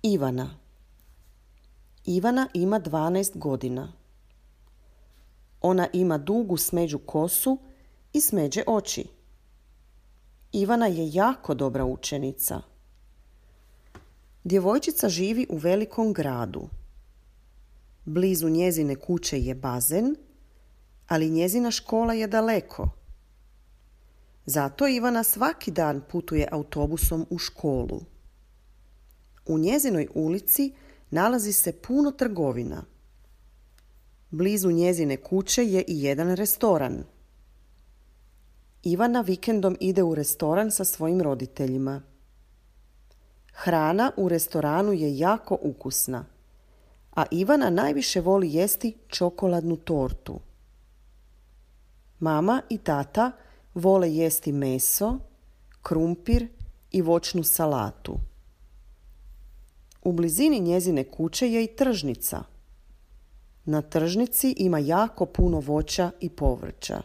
Ivana. Ivana ima 12 godina. Ona ima dugu smeđu kosu i smeđe oči. Ivana je jako dobra učenica. Djevojčica živi u velikom gradu. Blizu njezine kuće je bazen, ali njezina škola je daleko. Zato Ivana svaki dan putuje autobusom u školu. U njezinoj ulici nalazi se puno trgovina. Blizu njezine kuće je i jedan restoran. Ivana vikendom ide u restoran sa svojim roditeljima. Hrana u restoranu je jako ukusna, a Ivana najviše voli jesti čokoladnu tortu. Mama i tata vole jesti meso, krumpir i voćnu salatu. U blizini njezine kuće je i tržnica. Na tržnici ima jako puno voća i povrća.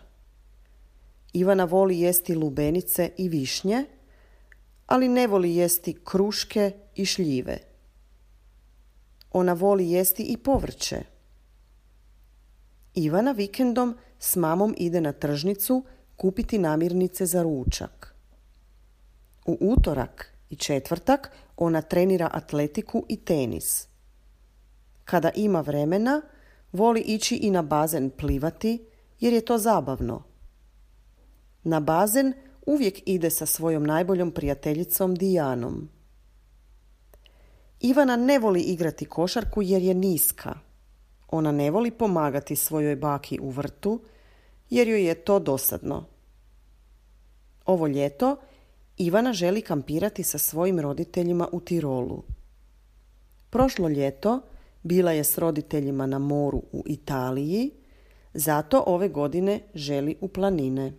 Ivana voli jesti lubenice i višnje, ali ne voli jesti kruške i šljive. Ona voli jesti i povrće. Ivana vikendom s mamom ide na tržnicu kupiti namirnice za ručak. U utorak i četvrtak ona trenira atletiku i tenis. Kada ima vremena, voli ići i na bazen plivati jer je to zabavno. Na bazen uvijek ide sa svojom najboljom prijateljicom Dijanom. Ivana ne voli igrati košarku jer je niska. Ona ne voli pomagati svojoj baki u vrtu jer joj je to dosadno. Ovo ljeto Ivana želi kampirati sa svojim roditeljima u Tirolu. Prošlo ljeto bila je s roditeljima na moru u Italiji, zato ove godine želi u planine.